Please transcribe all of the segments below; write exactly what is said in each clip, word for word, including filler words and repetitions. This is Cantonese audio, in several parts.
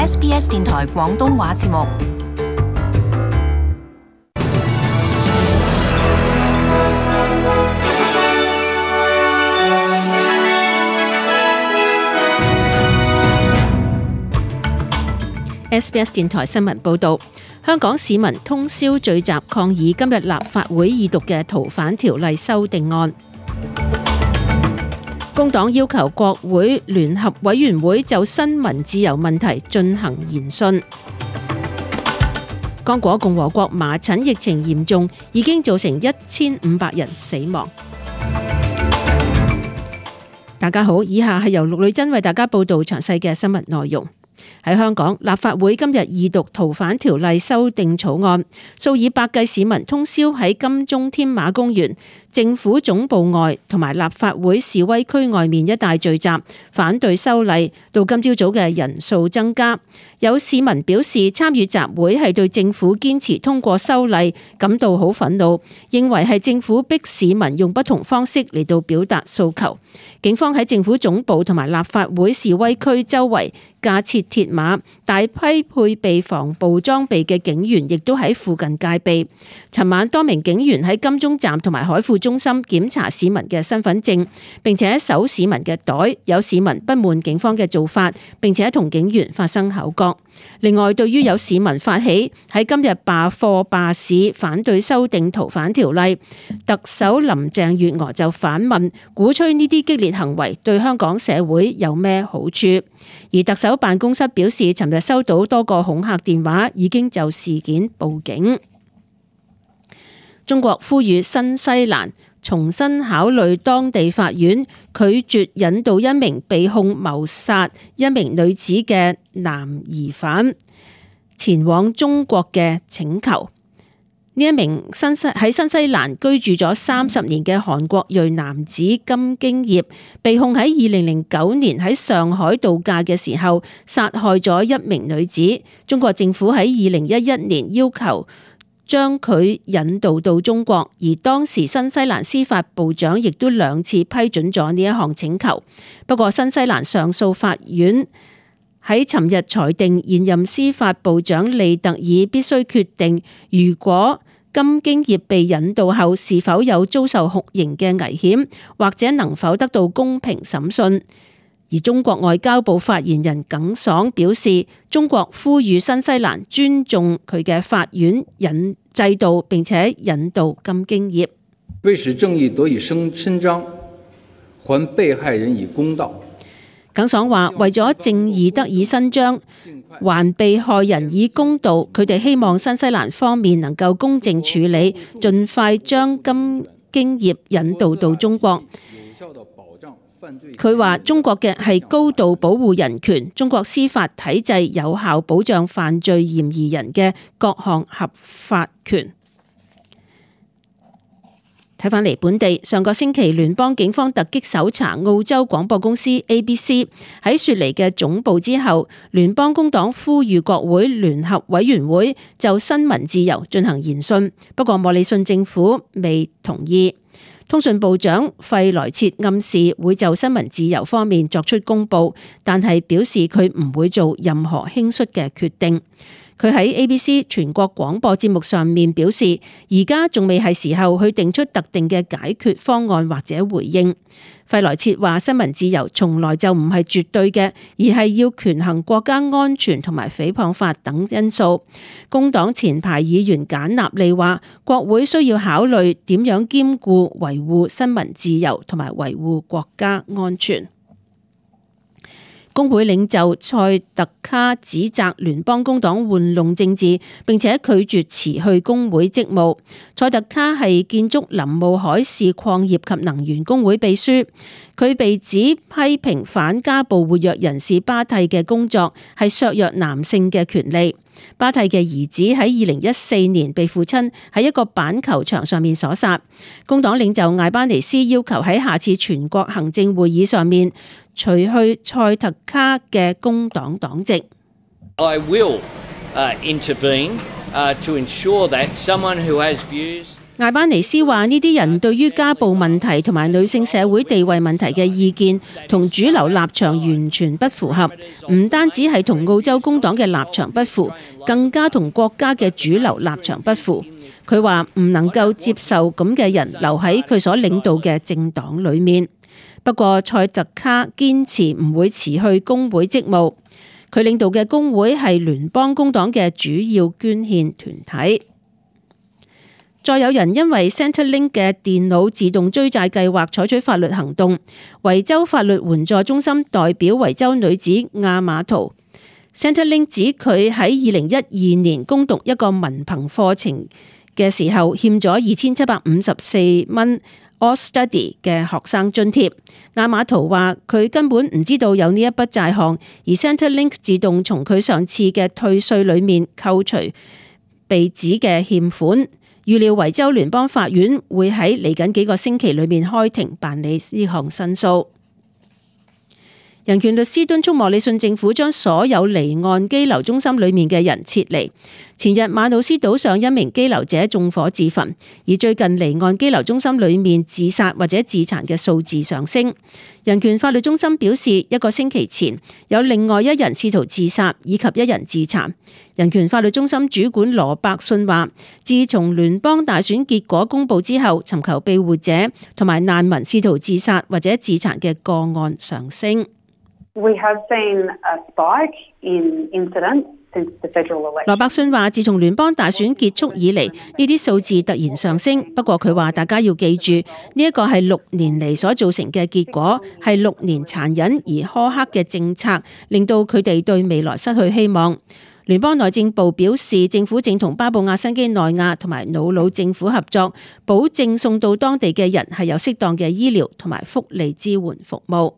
S B S 電台廣東話節目。S B S 電台新聞報道，香港市民通宵聚集抗議今日立法會二讀嘅逃犯條例修訂案。工黨要求國會聯合委員會就新聞自由問題進行研訊。剛果共和國麻疹疫情嚴重，已經造成一千五百人死亡。大家好，以下係由陸女真為大家報道詳細嘅新聞內容。喺香港，立法會今日二讀逃犯條例修訂草案，數以百計市民通宵喺金鐘添馬公園、政府總部外同埋立法會示威區外面一帶聚集，反對修例。到今朝早嘅人數增加，有市民表示參與集會係對政府堅持通過修例感到好憤怒，認為係政府逼市民用不同方式嚟到表達訴求。警方喺政府總部同埋立法會示威區周圍架設鐵馬，大批配備防暴裝備嘅警員亦都喺附近戒備。尋晚多名警員喺金鐘站同埋海富中心檢查市民嘅身份證，並且搜市民嘅袋。有市民不滿警方嘅做法，並且同警員發生口角。另外，對於有市民發起喺今日罷課罷市反對修訂逃犯條例，特首林鄭月娥就反問，鼓吹呢啲激烈行為對香港社會有咩好處？而特首辦公室表示，尋日收到多個恐嚇電話，已經就事件報警。中國呼籲新西蘭重新考慮當地法院拒絕引渡一名被控謀殺一名女子嘅男疑犯前往中國嘅請求。呢一名新西喺新西蘭居住咗三十年嘅韓國裔男子金京業，被控喺二零零九年喺上海度假嘅時候殺害咗一名女子。中國政府喺二零一一年要求將佢引渡到中國，而當時新西蘭司法部長亦都兩次批准咗呢一項請求。不過新西蘭上訴法院喺尋日裁定，現任司法部長利特爾必須決定，如果金京業被引渡後是否有遭受酷刑嘅危險，或者能否得到公平審訊。而中國外交部發言人耿爽表示，中國呼籲新西蘭尊重佢嘅法院引制度，並且引渡金京業。為使正義得以伸伸張，還被害人以公道。耿爽話：為咗正義得以伸張，還被害人以公道，佢哋希望新西蘭方面能夠公正處理，盡快將金京業引渡到中國。佢話中國嘅係高度保護人權，中國司法體制有效保障犯罪嫌疑人嘅各項合法權。睇返嚟本地，上個星期聯邦警方突擊搜查澳洲廣播公司 A B C 喺雪梨嘅總部之後，聯邦工黨呼籲國會聯合委員會就新聞自由進行研訊，不過莫里遜政府未同意。通訊部長費萊切暗示會就新聞自由方面作出公佈，但係表示佢唔會做任何輕率嘅決定。佢喺 A B C 全國廣播節目上面表示，而家仲未係時候去定出特定嘅解決方案或者回應。費萊切話：新聞自由從來就唔係絕對嘅，而係要權衡國家安全同埋誹謗法等因素。工黨前排議員簡納利話：國會需要考慮點樣兼顧維護新聞自由同埋維護國家安全。工會領袖塞特卡指責聯邦工黨玩弄政治，並且拒絕辭去工會職務。塞特卡係建築林務海事礦業及能源工會秘書，佢被指批評反家暴活躍人士巴蒂嘅工作係削弱男性嘅權利。巴蒂嘅兒子喺二零一四年被父親喺一個板球場上面所殺。工黨領袖艾班尼斯要求喺下次全國行政會議上面除去塞特卡嘅工黨黨籍。I will, uh, intervene, uh, to ensure that someone who has views 艾班尼斯話：呢啲人對於家暴問題同埋女性社會地位問題嘅意見同主流立場完全不符合，唔單止係同澳洲工黨嘅立場不符，更加同國家嘅主流立場不符。佢話唔能夠接受咁嘅人留喺佢所領導嘅政黨裏面。不過塞特卡堅持唔會辭去工會職務，佢領導嘅工會係聯邦工黨嘅主要捐獻團體。再有人因為 Centrelink 嘅電腦自動追債計劃採取法律行動，維州法律援助中心代表維州女子亞馬圖。Centrelink 指佢喺二零一二年攻讀一個文憑課程嘅時候欠咗二千七百五十四蚊 All Study 嘅學生津貼。亞馬圖話佢根本唔知道有呢一筆債項，而 Centrelink 自動從佢上次嘅退稅裏面扣除被指嘅欠款。預料維州聯邦法院會喺嚟緊幾個星期裏面開庭辦理呢項申訴。人權律師敦促莫里遜政府將所有離岸羈留中心裏面嘅人撤離。前日馬努斯島上一名羈留者縱火自焚，而最近離岸羈留中心裏面自殺或者自殘嘅數字上升。人權法律中心表示，一個星期前有另外一人試圖自殺，以及一人自殘。人權法律中心主管羅伯遜話，自從聯邦大選結果公佈之後，尋求庇護者同埋難民試圖自殺或者自殘嘅個案上升。We have seen a spike in incidents since the federal election. 羅伯遜話：自從聯邦大選結束以嚟，呢啲數字突然上升。不過佢話大家要記住，呢一個係六年嚟所造成嘅結果，係六年殘忍而苛刻嘅政策，令到佢哋對未來失去希望。聯邦內政部表示，政府正同巴布亞新畿內亞同埋瑙魯政府合作，保證送到當地嘅人係有適當嘅醫療同埋福利支援服務。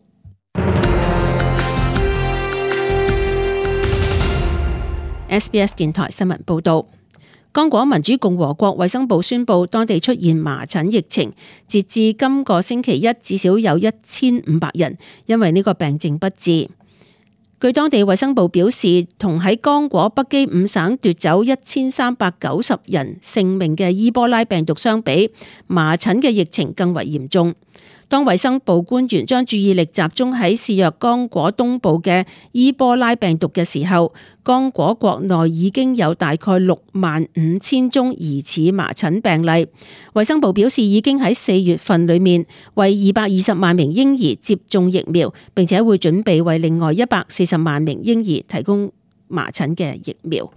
S B S 電台新聞報道，剛果民主共和國衛生部宣布，當地出現麻疹疫情，截至今個星期一，至少有一千五百人因為呢個病症不治。據當地衛生部表示，同喺剛果北基五省奪走一千三百九十人性命嘅伊波拉病毒相比，麻疹嘅疫情更為嚴重。當衛生部官員將注意力集中喺肆虐剛果東部嘅伊波拉病毒嘅時候，剛果國內已經有大概六萬五千宗疑似麻疹病例。衛生部表示，已經喺四月份裏面為二百二十萬名嬰兒接種疫苗，並且會準備為另外一百四十萬名嬰兒提供麻疹嘅疫苗。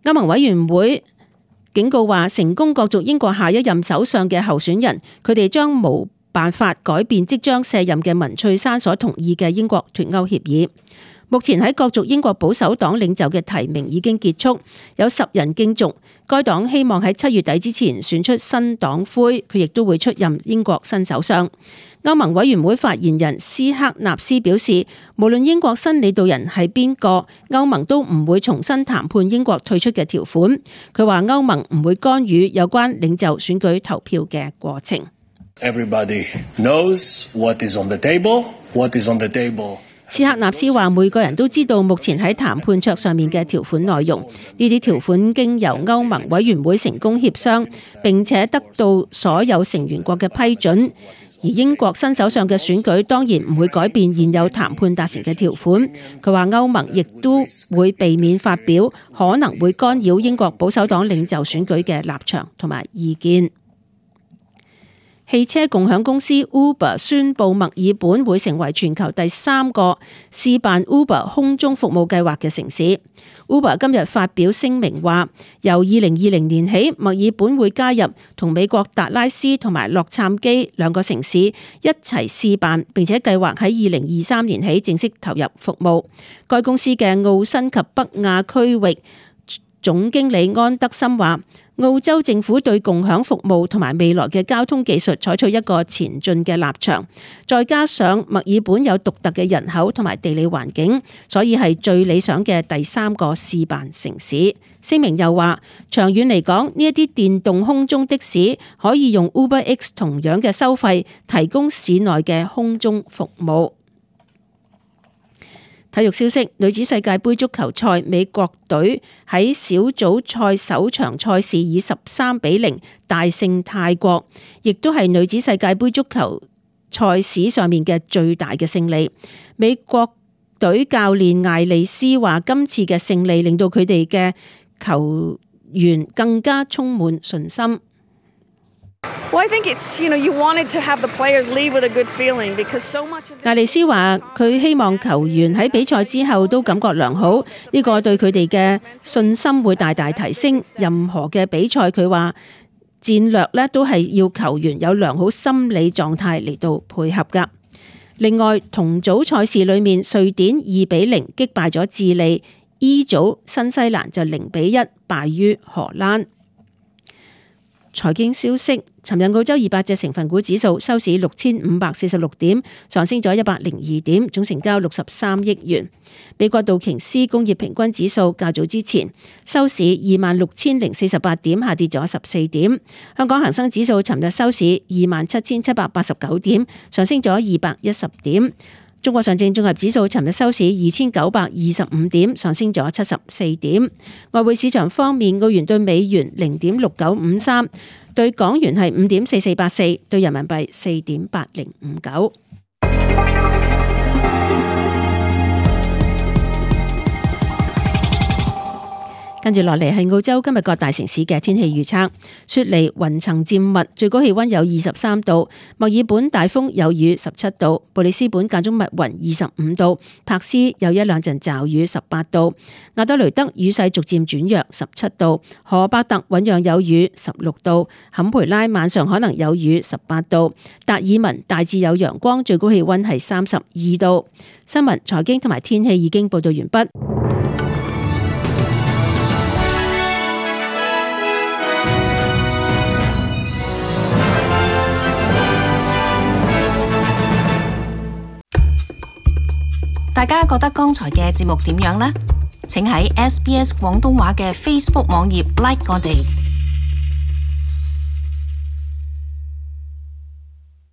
歐盟委員會警告話，成功角逐英國下一任首相嘅候選人，佢哋將冇辦法改變即將卸任嘅文翠珊所同意嘅英國脫歐協議。目前喺角逐英國保守黨領袖嘅提名已經結束，有十人競逐。該黨希望喺七月底之前選出新黨魁，佢亦都會出任英國新首相。歐盟委員會發言人斯克納斯表示，無論英國新領導人係邊個，歐盟都唔會重新談判英國退出嘅條款。佢話歐盟唔會干預有關領袖選舉投票嘅過程。Everybody knows what is on the table, what is on the table. 斯克納斯話：每個人都知道目前喺談判桌上面嘅條款內容，呢啲條款經由歐盟委員會成功協商，並且得到所有成員國嘅批准。而英國新首相嘅選舉當然唔會改變現有談判達成嘅條款。佢話歐盟亦都會避免發表可能會干擾英國保守黨領袖選舉嘅立場同埋意見。汽車共享公司 Uber 宣布墨爾本會成為全球第三個試辦 Uber 空中服務計劃嘅城市。Uber 今日發表聲明話，由二零二零年起，墨爾本會加入同美國達拉斯同埋洛杉磯兩個城市一齊試辦，並且計劃喺二零二三年起正式投入服務。該公司嘅澳新及北亞區域總經理安德森話，澳洲政府對共享服務同埋未來嘅交通技術採取一個前進嘅立場，再加上墨爾本有獨特嘅人口同埋地理環境，所以係最理想嘅第三個試辦城市。聲明又話，長遠嚟講，呢一啲電動空中的士可以用 UberX 同樣嘅收費提供市內嘅空中服務。體育消息，女子世界盃足球賽，美國隊喺小組賽首場賽事以十三比零大勝泰國，亦都係女子世界盃足球賽史上面嘅最大嘅勝利。美國隊教練艾利斯話：今次嘅勝利令到佢哋嘅球員更加充滿信心。艾利斯話：佢希望球員喺比賽之後都感覺良好，呢個對佢哋嘅信心會大大提升。任何嘅比賽，佢話戰略咧都係要球員有良好心理狀態嚟到配合噶。另外，同組賽事裏面，瑞典二比零擊敗咗智利。E 組新西蘭就零比一敗於荷蘭。財經消息，尋日澳洲二百隻成分股指數收市六千五百四十六點，上升咗一百零二點，總成交六十三億元。美國道瓊斯工業平均指數較早之前收市二萬六千零四十八點，下跌咗十四點。香港恒生指數尋日收市二萬七千七百八十九點，上升咗二百一十點。中國上證綜合指數尋日收市二千九百二十五點，上升咗七十四點。外匯市場方面，澳元對美元零點六九五三，對港元係五點四四八四，對人民幣四點八零五九。跟住落嚟係澳洲今日各大城市嘅天氣預測。雪梨雲層漸密，最高氣溫有二十三度；墨爾本大風有雨十七度；布里斯本間中密雲二十五度；柏斯有一兩陣驟雨十八度；亞德雷德雨勢逐漸轉弱十七度；荷伯特醞釀有雨十六度；坎培拉晚上可能有雨十八度；達爾文大致有陽光，最高氣溫係三十二度。新聞、財經同埋天氣已經報道完畢。大家覺得剛才嘅節目點樣呢？請喺 S B S 廣東話嘅 Facebook 網頁 like 我哋。